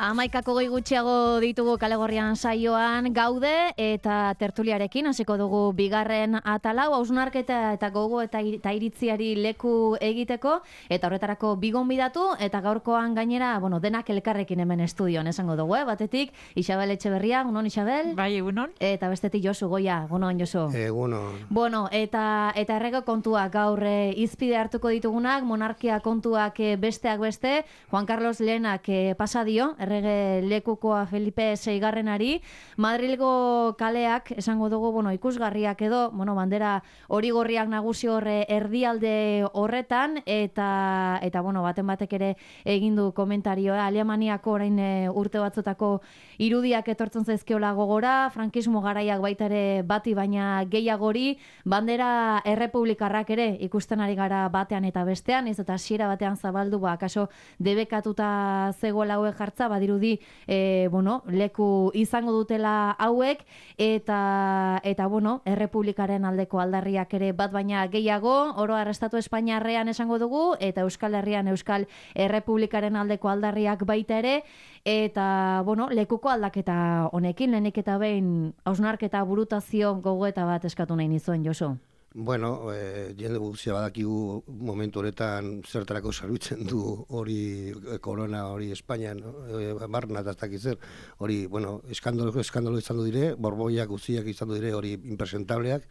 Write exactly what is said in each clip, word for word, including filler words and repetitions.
Amaikako gehi gutxiago ditugu Kalegorrian saioan gaude eta tertuliarekin hasiko dugu bigarren atalau, hausnarketa eta gogo eta iritziari leku egiteko eta horretarako bigonbidatu eta gaurkoan gainera, bueno, denak elkarrekin hemen estudioan esango dugu, eh? Batetik Isabel Etxeberria, egunon Isabel? Bai, egunon. Eta bestetik Josu Goia, egunon Josu. Egunon. Bueno, eta eta errege kontuak gaur eh, izpide hartuko ditugunak, monarkia kontuak eh, besteak beste, Juan Carlos Lehenak eh, pasa dio, errege lekukoa Felipe seigarrenari, Madrilgo kaleak esango dugu, bueno, ikusgarriak edo, bueno, bandera hori gorriak nagusi horre erdialde horretan eta eta bueno, baten batek ere egin du komentarioa, Alemaniako orain e, urte batzutako irudiak etortzen zaizkiola gogora, frankismo garaiak baita ere bati baina gehiagori, bandera errepublikarrak ere ikusten ari gara batean eta bestean, ez eta hasiera batean zabaldu, ba, akaso debekatuta zegoela hauek jartza, badirudi e, bueno, leku izango dutela hauek eta eta bueno, errepublikaren aldeko aldarriak ere bat baina gehiago, oro arrestatu Espainiarrean esango dugu eta Euskal Herrian Euskal Errepublikaren aldeko aldarriak baita ere eta bueno, lekuko aldaketa honekin lehenik eta behin hausnarketa burutazio gogoeta bat eskatu nahi nizuen, Josu. Bueno, eh, jende guztia badakigu momentu honetan zertarako zerbitzen du hori korona hori Espainian, eh, barna eta ez dakit zer, hori, bueno, eskandalo, eskandalo izan du dire, borboiak guztiak izan du dire, hori impresentableak,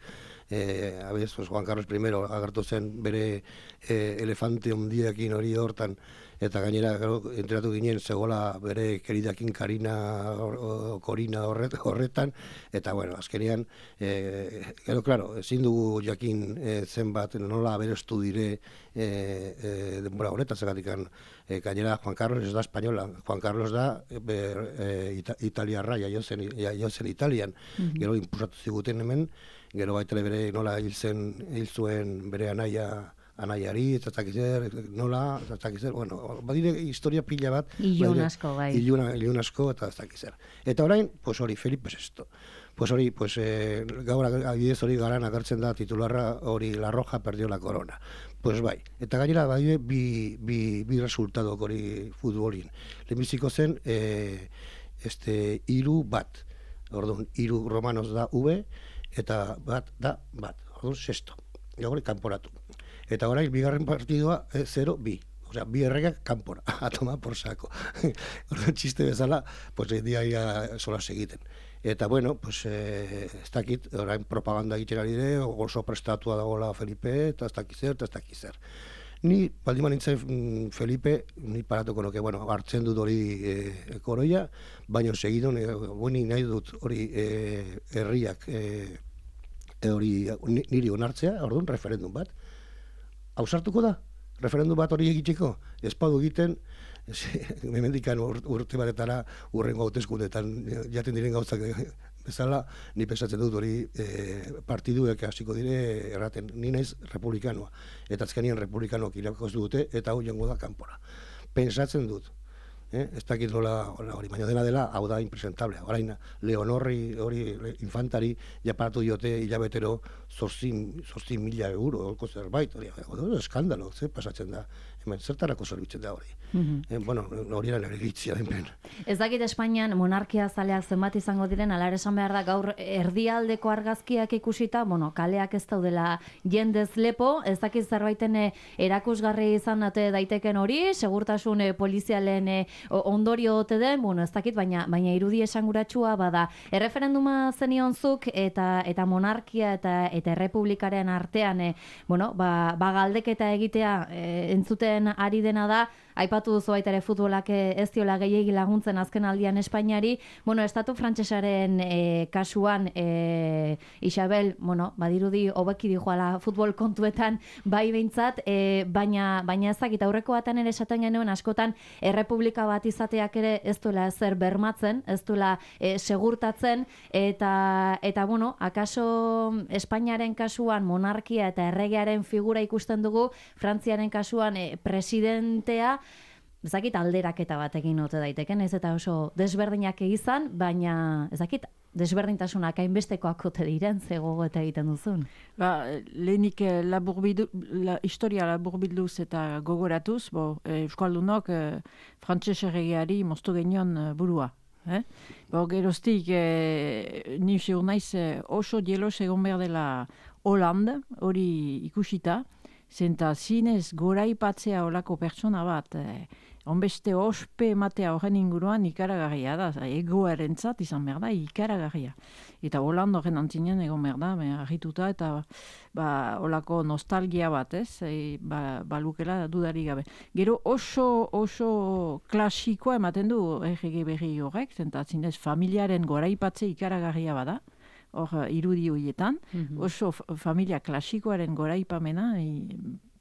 eh, abez, pues, Juan Carlos primero agertu zen bere eh, elefante ondiekin hori hortan, eta gainera enteratu ginen zegoela bere keridakin Karina or, Korina horret, horretan, eta bueno, azkenean, eh, gero, claro, ezin dugu jakin eh, zenbat nola aberestu dire eh, eh, denbora horretan, zegatikan eh, gainera Juan Carlos ez da espainola, Juan Carlos da ber, eh, ita, italiarra, jaio zen, jaio zen Italian, mm-hmm. Gero inpusatu ziguten hemen, gero baita bere nola hil zen, hil zuen bere anaia anaiari, eta zakizer, nola, eta zakizer, bueno, badire historia pila bat. Ilun asko, bai. Ilun, ilun asko, eta zakizer. Eta orain, pues hori, Felipe Sesto. Pues hori, pues eh, gaur adibidez hori garan agertzen da titularra hori La Roja perdió la corona. Pues bai, eta gainera badire bi, bi, bi resultadok hori futbolin. Lehenbiziko zen, eh, este, iru bat. Orduan, iru romanos da V, eta bat da bat. Orduan, Sesto. Gaur, kanporatu. Eta orain, bigarren partidua, eh, zero bi. Osea, bi erregak kanpora, a tomar por saco. Orduan, txiste bezala, pues, dia ia sola segiten. Eta, bueno, pues, eh, ez dakit, orain propaganda egiten ari dire, oso prestatua dagoela Felipe, eta ez dakit zer, eta ez dakit zer. Ni, baldin nintzen Felipe, ni paratuko noke, bueno, hartzen dut hori eh, koroia, baina segidon, eh, bueni nahi dut hori eh, herriak, eh, hori niri onartzea, orduan, referendum bat. Hausartuko da? Referendum bat hori egiteko? Ez padu egiten, memendikan urte batetara urrengo hauteskundetan jaten diren gauzak bezala, ni pensatzen dut hori e, partiduek hasiko dire erraten, ni naiz republikanoa. Eta azkenien republikanoak irakoz dute eta hau jongo da kanpora. Pensatzen dut. Eh? Ez dakit nola hori, baina dena dela, hau da impresentable. Orain, Leonorri, hori, infantari, japaratu diote hilabetero zortzi mila euro, olko zerbait, hori, eskandalo, ze pasatzen da, hemen, zertarako zerbitzen da hori. Mm-hmm. eh, bueno, hori eran eritzia den. Ez dakit Espainian monarkia zaleak zenbat izango diren, ala ere esan behar da gaur erdialdeko argazkiak ikusita, bueno, kaleak ez daudela jendez lepo, ez dakit zerbaiten erakusgarri izan date daiteken hori, segurtasun polizialen ondorio ote den, bueno, ez dakit, baina baina irudi esanguratsua bada. Erreferenduma zenionzuk eta eta monarkia eta eta errepublikaren artean, e, bueno, ba, ba galdeketa egitea e, entzuten ari dena da, aipatu duzu baita ere futbolak ez diola gehiegi laguntzen azken aldian Espainiari, bueno, estatu frantsesaren e, kasuan e, Isabel, bueno, badirudi hobeki dijoala futbol kontuetan bai behintzat, e, baina baina ez dakit aurreko batean ere esaten genuen askotan errepublika bat izateak ere ez duela ezer bermatzen, ez duela e, segurtatzen, eta eta bueno, akaso Espainiaren kasuan monarkia eta erregearen figura ikusten dugu, Frantziaren kasuan e, presidentea, ezakit alderaketa batekin ote daiteken, ez eta oso desberdinak izan, baina ezakit desberdintasunak hainbestekoak ote diren, ze gogoeta egiten duzun. Ba, lehenik laburbildu, la, historia laburbilduz eta gogoratuz, bo, Euskaldunok eh, frantses erregeari moztu genion eh, burua. Eh? Bo, geroztik, eh, ni segur naiz eh, oso jelos egon behar dela Hollande, hori ikusita, zenta zinez goraipatzea olako pertsona bat, eh, onbeste ospe ematea horren inguruan ikaragarria da, egoarentzat izan behar da, ikaragarria. Eta Hollande horren antzinen egon behar da, argituta eta ba, olako nostalgia bat, ez, e, ba, balukela dudari gabe. Gero oso, oso klasikoa ematen du errege berri horrek, zenta zinez familiaren goraipatze ikaragarria bada, hor irudi horietan, mm-hmm. oso familia klasikoaren goraipamena, e,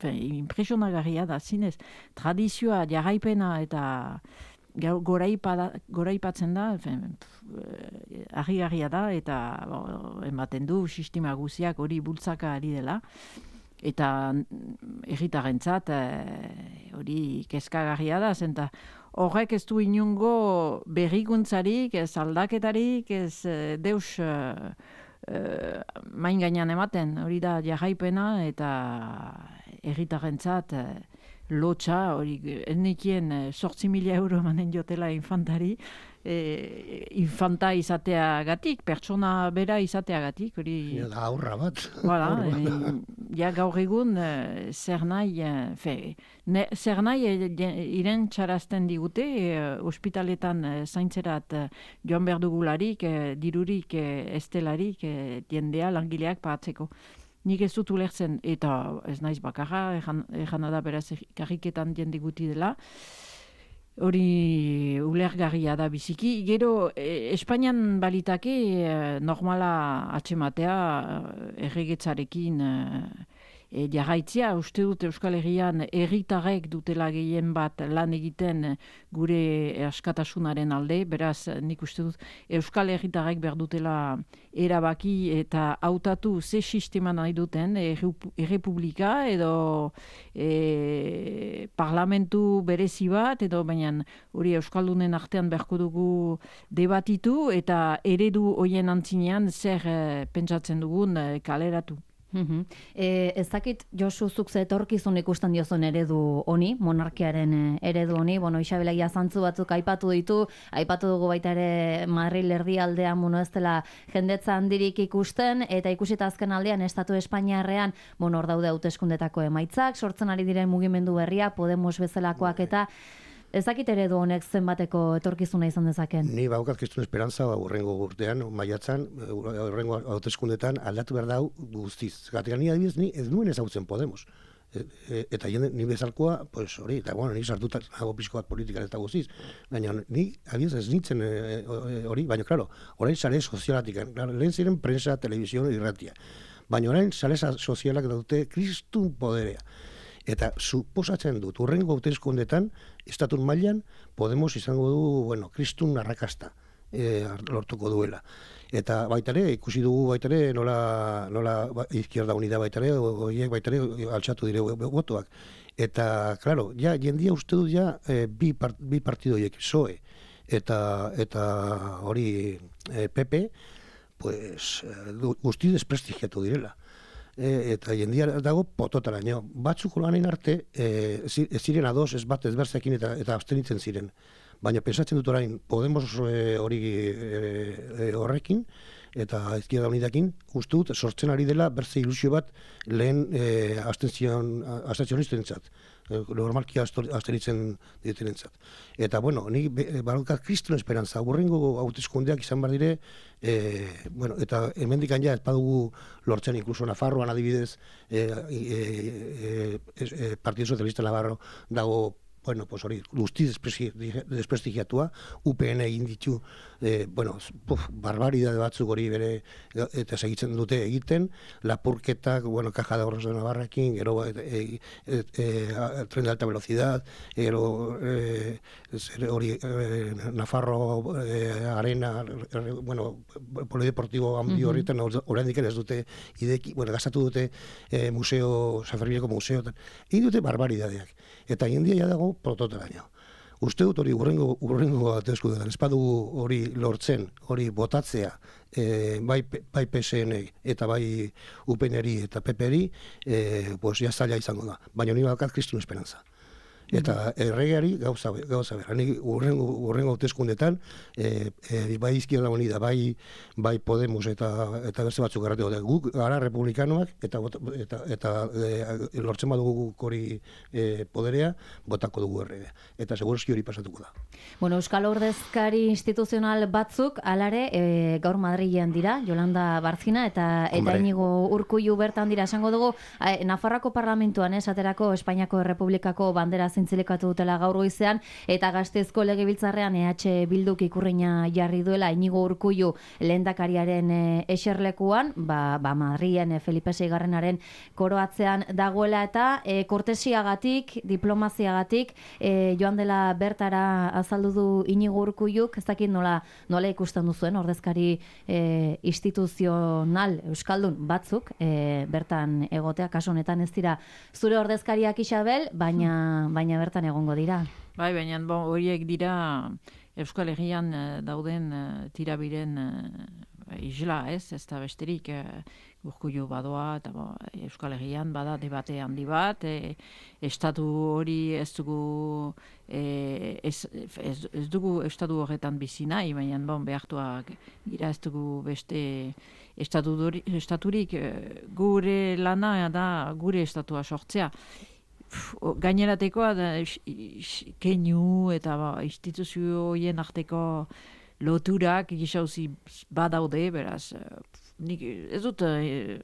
impresionagarria da, zinez, tradizioa, jarraipena eta goraipa, goraipatzen da, argi-garria da, eta bo, ematen du sistema guziak hori bultzaka ari dela, eta herritarrentzat hori e, kezkagarria da, zenta horrek ez du inungo berrikuntzarik, ez aldaketarik, ez e, deus e, e, main gainean ematen, hori da jarraipena eta herritarrentzat e, lotxa, hori ennekien sortzi mila euro emanen jotela infantari, e, infanta izateagatik, pertsona bera izateagatik, hori... Ja, da aurra bat. Voilà, e, ja gaur egun e, zer nahi, e, fe, ne, zer nahi e, iren txarazten digute, e, ospitaletan e, zaintzerat e, joan behar dugularik, e, dirurik, e, estelarik, e, jendea langileak pahatzeko. Nik ez dut ulertzen, eta ez naiz bakarra, ejan da beraz karriketan jende guti dela, hori ulergarria da biziki. Gero, e, Espainian balitake e, normala atxematea erregetzarekin e, e, jarraitzea. Uste dut Euskal Herrian herritarrek dutela gehien bat lan egiten gure askatasunaren alde, beraz nik uste dut Euskal Herritarrek behar dutela erabaki eta hautatu ze sistema nahi duten, errepublika edo e, parlamentu berezi bat, edo baina hori Euskaldunen artean beharko dugu debatitu eta eredu hoien antzinean zer e, pentsatzen dugun e, kaleratu. Mm-hmm. E, ez dakit Josu zuk ze etorkizun ikusten diozun eredu honi, monarkiaren eredu honi, bueno, Isabelagia zantzu batzuk aipatu ditu, aipatu dugu baita ere Madril erdialdean bueno, ez dela jendetza handirik ikusten, eta ikusita azken aldean Estatu Espainiarrean, bueno, hor daude hauteskundetako emaitzak, sortzen ari diren mugimendu berria, Podemos bezalakoak eta ez dakit eredu honek zenbateko etorkizuna izan dezaken. Ni baukat kristun esperantza urrengo urtean, maiatzan, urrengo hauteskundetan aldatu behar dau guztiz. Gatik, ni adibidez, ni ez nuen ezagutzen Podemos. E, e, eta jende, ni bezalkoa, pues hori, eta bueno, ni sartuta nago pixko bat politikan ez da guztiz. Baina ni, adibidez, ez nintzen hori, e, baina, klaro, orain sare sozialatik, lehen ziren prensa, televizio, irratia. Baina orain sare sozialak dute kristun poderea. Eta suposatzen dut, urrengo hauteskundetan, estatun mailan Podemos izango du, bueno, kristun arrakasta e, lortuko duela. Eta baitare, ikusi dugu baitare, nola, nola Izquierda Unida baitare, horiek baitare altxatu dire botoak. Eta, klaro, ja, jendia uste dut ja e, bi, part, bi partidoiek, P S O E eta, eta hori e, P P, pues, guzti desprestigiatu direla. E, eta jendia dago pototaraino. Batzuk lanen arte, e, ez ziren ados, ez bat ezbertzekin eta, eta abstenitzen ziren. Baina pensatzen dut orain, Podemos hori e, horrekin, eta Izquierda Unidakin, uste dut, sortzen ari dela berze ilusio bat lehen e, abstentzionistentzat. Normalki abstenitzen ditenentzat. Eta, bueno, ni barokat kristun esperantza, urrengo hauteskundeak izan behar dire, e, bueno, eta hemendikan ja ez badugu lortzen, inkluso Nafarroan adibidez, e, e, e, e, Partido Socialista Navarro dago, bueno, pues hori, guzti desprestigiatua, U P N egin ditu, eh, bueno, puf, barbaridade batzuk hori bere, eta segitzen dute egiten, lapurketak, bueno, Caja de Ahorros de Navarrakin, gero eh, eh, eh, tren de alta velocidad, gero eh, hori eh, Nafarro eh, Arena, eh, bueno, polideportivo handi horretan, uh-huh. Oraindik ez dute ideki, bueno, gastatu dute eh, museo, San Fermineko museo, egin dute barbaridadeak. Eta jendia ja dago prototaraino. uste dut hori urrengo, urrengo hauteskundeetan espadu hori lortzen, hori botatzea, e, bai, bai P S N eta bai U P N-eri eta P P-eri, e, pues, ja zaila izango da. Baina hori bakat kristun esperantza. Eta erregeari gauza, gauza behar. Nik urrengo, urrengo hauteskundetan, e, e, bai Izquierda Unida, bai, bai Podemos eta, eta beste batzuk garratu dute. Guk gara republikanoak eta, eta, eta e, lortzen badugu hori e, poderea, botako dugu erregea. Eta segurazki hori pasatuko da. Bueno, Euskal Ordezkari instituzional batzuk, alare, e, gaur Madrilen dira, Yolanda Barzina eta, eta Inigo Urkullu bertan dira. Esango dugu, e, Nafarroako parlamentuan, esaterako Espainiako Errepublikako bandera zintzilikatu dutela gaur goizean, eta Gasteizko legebiltzarrean E H Bilduk ikurriña jarri duela Inigo Urkullu lehendakariaren e, eserlekuan, ba, ba Madrilen e, Felipe seigarrenaren koroatzean dagoela, eta e, kortesiagatik, diplomaziagatik, e, joan dela bertara azaldu du Inigo Urkulluk, ez dakit nola, nola ikusten duzuen ordezkari e, instituzional euskaldun batzuk e, bertan egotea, kasu honetan ez dira zure ordezkariak, Isabel, baina baina bertan egongo dira. Bai, baina bon, horiek dira Euskal Herrian uh, dauden uh, tirabiren uh, isla, ez? Ez da besterik uh, Urkullu badoa, eta bo, Euskal Herrian bada debate handi bat, e, estatu hori ez dugu e, ez, ez, ez dugu estatu horretan bizi nahi, baina bon, behartuak gira ez dugu beste estatu dori, estaturik, gure lana da gure estatua sortzea. Gaineratekoa da keinu eta ba, instituzio horien arteko loturak gizauzi badaude, beraz nik ez dut eh,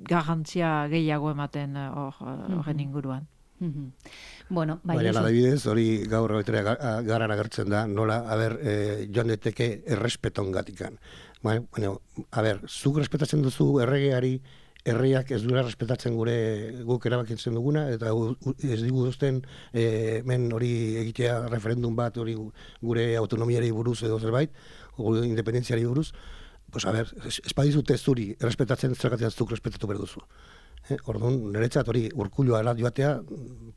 garantzia gehiago ematen horren uh, inguruan. Mm-hmm. Bueno, bai, baina adibidez, hori gaur betera garan agertzen da, nola, a ber, eh, joan deteke errespeton gatikan. Bueno, a ber, zuk respetatzen duzu erregeari, herriak ez duela respetatzen gure guk erabakitzen duguna, eta ez digu duzten e, men hori egitea referendum bat hori gure autonomiari buruz edo zerbait, gure independentziari buruz, pues a ber, espadizute zuri errespetatzen zergatzen zuk respetatu behar duzu. Eh, Orduan, niretzat hori Urkullua ala joatea,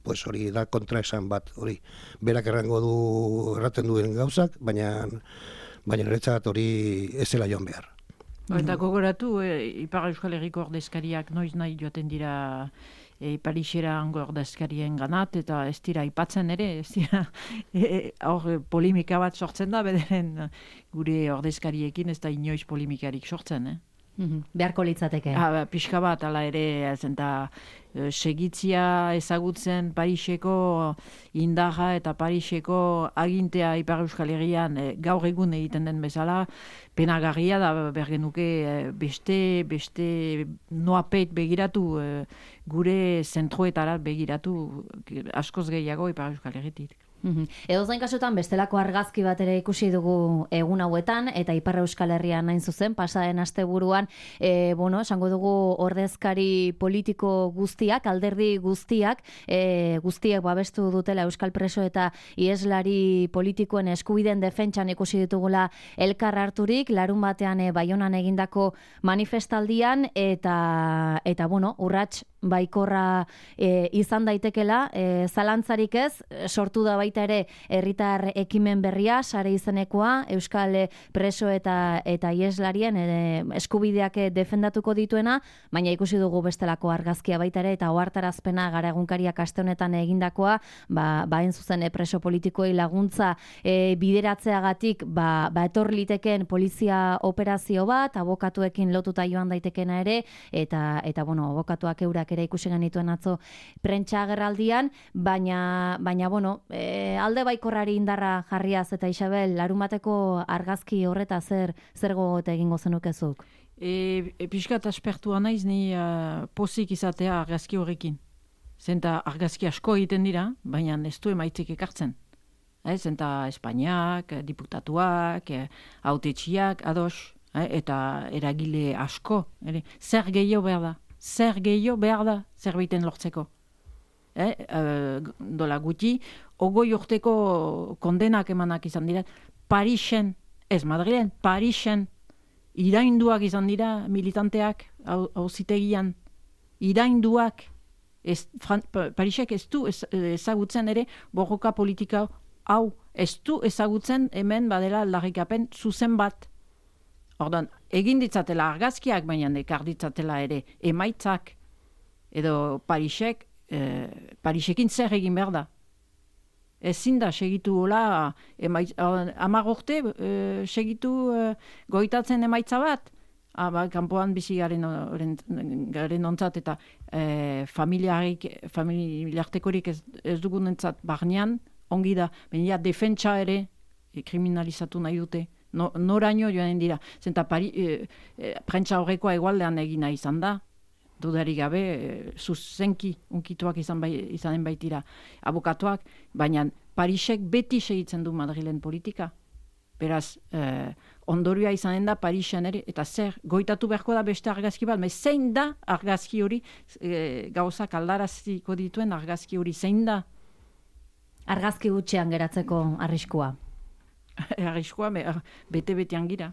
pues hori da kontraesan bat, hori berak errango du erraten duen gauzak, baina baina niretzat hori ez zela joan behar. Eta gogoratu, e, Ipar Euskal Herriko ordezkariak noiz nahi joaten dira e, Parixera hango ordezkarien ganat, eta ez dira aipatzen ere, ez dira hor e, polimika bat sortzen da, bederen gure ordezkariekin ez da inoiz polimikarik sortzen, eh? Mm-hmm. Beharko litzateke. Ha, pixka bat, ala ere, zenta, e, segitzia ezagutzen Pariseko indarra eta Pariseko agintea Ipar Euskal Herrian e, gaur egun egiten den bezala, penagarria da bergenuke e, beste, beste noapeit begiratu, e, gure zentroetara begiratu askoz gehiago Ipar Euskal Herritik. Mm-hmm. Edo zain kasutan bestelako argazki bat ere ikusi dugu egun hauetan, eta Ipar Euskal Herrian nain zuzen, pasaden asteburuan, e, bueno, esango dugu ordezkari politiko guztiak, alderdi guztiak, e, guztiek babestu dutela Euskal Preso eta ieslari politikoen eskubideen defentsan ikusi ditugula elkar harturik, larun batean e, Baionan egindako manifestaldian, eta, eta bueno, urrats baikorra e, izan daitekela, e, zalantzarik ez, sortu da baita ere herritar ekimen berria, sare izenekoa, Euskal Preso eta eta ieslarien e, eskubideak defendatuko dituena, baina ikusi dugu bestelako argazkia baita ere, eta ohartarazpena gara egunkariak aste honetan egindakoa, ba, ba zuzen e, preso politikoei laguntza e, bideratzeagatik, ba, ba etor litekeen polizia operazio bat, abokatuekin lotuta joan daitekena ere, eta, eta bueno, abokatuak eurak ere ikusi genituen atzo prentsa agerraldian, baina, baina bueno, e, alde baikorrari indarra jarriaz, eta Isabel, larun bateko argazki horreta zer zer gogote egingo zenukezuk? E, e, Piskat aspertua naiz ni uh, pozik izatea argazki horrekin. Zenta argazki asko egiten dira, baina ez du emaitzik ekartzen. Eh, zenta Espainiak, diputatuak, hautetxiak, ados, eh, eta eragile asko. Ere, zer gehiago behar da? Zer gehiago behar da zerbaiten lortzeko. Eh, uh, dola gutxi, ogoi urteko kondenak emanak izan dira, Parisen, ez Madrilen, Parisen, irainduak izan dira militanteak auzitegian, irainduak, ez, Fran, Parisek ez du ezagutzen ere borroka politika hau ez du ezagutzen hemen badela aldarrikapen zuzen bat. Ordan, egin ditzatela argazkiak, baina ekar ditzatela ere emaitzak, edo Parisek, eh, Parisekin zer egin behar da. Ezin da segitu hola, hamar urte eh, segitu eh, goitatzen emaitza bat, ah, ba, kanpoan bizi garen, garen ontzat eta eh, familiartekorik ez, ez dugunentzat barnean, ongi da, baina defentsa ere eh, kriminalizatu nahi dute. No, noraino joan dira. Zenta pari, e, e, prentsa horrekoa egualdean egina izan da, dudarik gabe, e, zuzenki unkituak izan bai, izanen baitira abokatuak, baina Parisek beti segitzen du Madrilen politika. Beraz, e, ondorioa izanen da Parisen ere, eta zer, goitatu beharko da beste argazki bat, me zein da argazki hori, e, gauzak aldaraziko dituen argazki hori, zein da? Argazki gutxean geratzeko arriskua. Arriskua, bete-betean gira.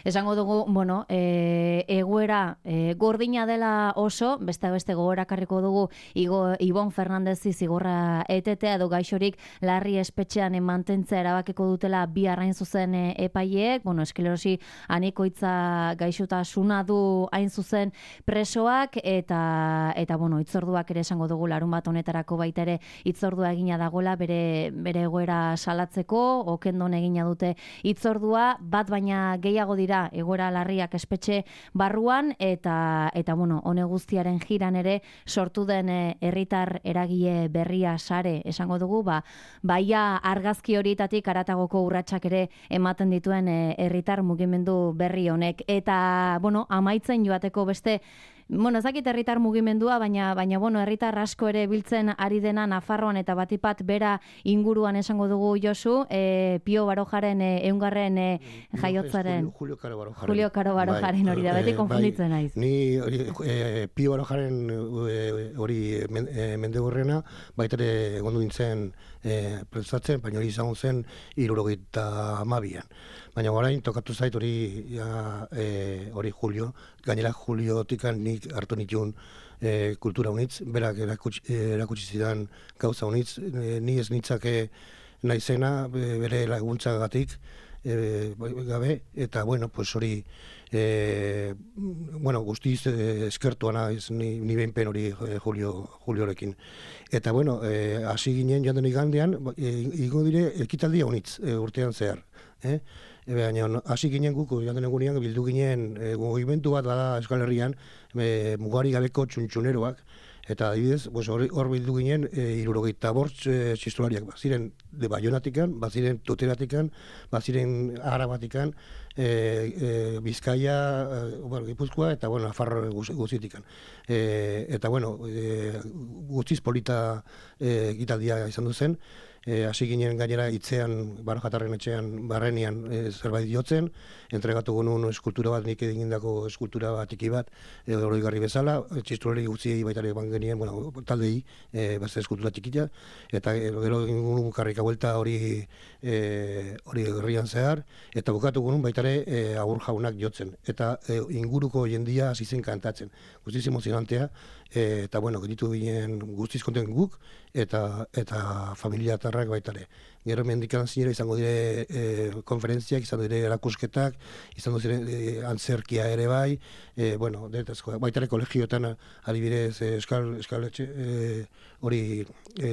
Esango dugu, bueno, e, egoera e, gordina dela oso, beste beste gogorakarriko dugu Igo, Ibon Fernandezi zigorra etetea edo gaixorik larri espetxean mantentzea erabakiko dutela bi arrain zuzen e, epaileek, bueno, esklerosi anikoitza gaixotasuna du hain zuzen presoak eta eta bueno, hitzorduak ere esango dugu larun bat honetarako baita ere hitzordua egina dagola bere bere egoera salatzeko, okendon egina dute hitzordua, bat baina gehiago dira egoera larriak espetxe barruan eta eta bueno, hone guztiaren jiran ere sortu den herritar eragile berria sare esango dugu, ba baia argazki horietatik aratagoko urratsak ere ematen dituen herritar mugimendu berri honek eta bueno, amaitzen joateko beste Bueno, ez dakit herritar mugimendua, baina baina bueno, herritar asko ere biltzen ari dena Nafarroan eta batipat bera inguruan esango dugu Josu, e, Pio Barojaren ehungarren e, jaiotzaren Julio Caro Barojaren. Julio Caro Barojaren hori da, beti konfunditzen naiz. Ni e, Pio Barojaren hori e, mendegorrena, baita ere egondu nintzen e, prestatzen, baina hori izango zen hirurogeita hamabian. Baina orain tokatu zait hori e, hori Julio, gainera Juliotikan nik hartu nituen e, kultura unitz, berak erakutsi, erakutsi zidan gauza unitz, e, ni ez nitzake naizena bere laguntzagatik e, gabe, eta bueno, pues hori e, bueno, guztiz e, eskertua naiz ni, ni behinpen hori e, Julio, Juliorekin. Eta bueno, hasi e, ginen joan den igandean, e, igo dire ekitaldia unitz e, urtean zehar. Eh? Baina hasi ginen guk, joan den egunean, bildu ginen e, mugimendu bat bada Euskal Herrian, e, mugari gabeko txuntxuneroak, eta adibidez, pues, hor, hor bildu ginen e, hirurogeita bost e, txistulariak, baziren de Baionatikan, baziren Tuteratikan, baziren Arabatikan, e, e, Bizkaia, e, bueno, Gipuzkoa, eta bueno, Nafarro guztitikan. E, eta bueno, e, guztiz polita e, gitaldia izan duzen, E, hasi ginen gainera hitzean, Barojatarren etxean, barrenian e, zerbait jotzen, entregatu genuen eskultura bat, nik egindako eskultura bat tiki bat, e, oroigarri bezala, txistulari gutziei baitare ban genien, bueno, taldei, e, beste eskultura txikita, eta gero egin genuen karrika buelta hori e, hori herrian zehar, eta bukatu genuen baitare e, agur jaunak jotzen, eta e, inguruko jendia hasi zen kantatzen, guztiz emozionantea, e, eta bueno, genitu ginen guztiz konten guk, eta eta familia tarrak baitare. Gero mendikan zinera izango dire e, konferentziak, izango dire erakusketak, izango dire e, antzerkia ere bai, e, bueno, detazko, baitare kolegioetan adibidez e, eskal, eskal etxe, e, hori e,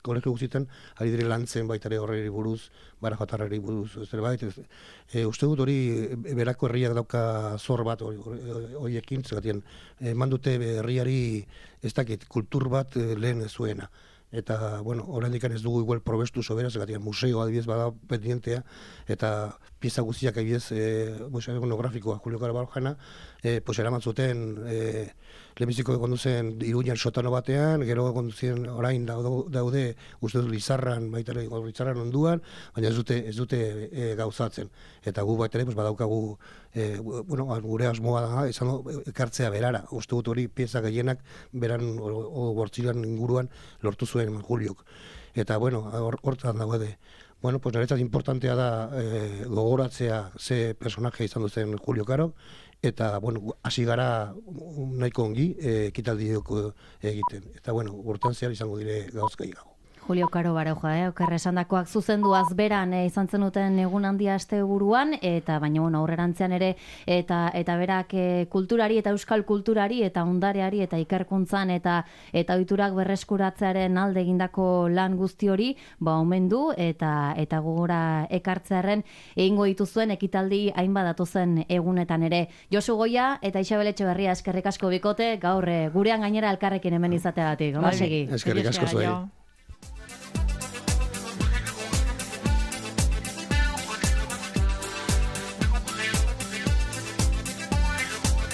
kolegio guztietan, adibidez lantzen baitare horreri buruz, Barajotarreri buruz, zerbait, e, uste dut hori berako herriak dauka zor bat horiekin, zegatien, eman dute herriari ez dakit, kultur bat e, lehen zuena. Eta, bueno, oraindik ez dugu igual probestu sobera, zegatik museo adibidez bada pendientea, eta pieza guztiak adibidez, e, museo monografikoa Julio Caro Barojana, e, pues eraman zuten, e, lehenbiziko egon duzen Iruñan sotano batean, gero egon duzen orain daude, uste dut Lizarran, baita ere Lizarran onduan, baina ez dute, ez dute e, gauzatzen. Eta gu baita ere, pues badaukagu, e, bueno, gure asmoa da, esan ekartzea berara, uste dut hori pieza gehienak beran, o bortzilan inguruan lortu zuen Juliok. Eta, bueno, hortan dago ede. Bueno, pues niretzat importantea da e, gogoratzea ze personaje izan duzen Julio Caro, eta, bueno, hasi gara nahiko ongi ekitaldiok egiten. Eta, bueno, urtean zehar izango dire gauzkai gago. Julio Karo Baroja, eh? Okerre esandakoak zuzenduaz beran eh, izan zenuten egun handia aste buruan, eta baina bueno, aurrerantzean ere, eta eta berak eh, kulturari eta euskal kulturari eta ondareari eta ikerkuntzan eta eta ohiturak berreskuratzearen alde egindako lan guzti hori, ba omendu eta eta gogora ekartzearren egingo dituzuen ekitaldi hainbat datozen egunetan ere. Josu Goia eta Isabel Etxeberria eskerrik asko bikote, gaur eh, gurean gainera elkarrekin hemen izateagatik. Ondo segi. Eskerrik asko zuei.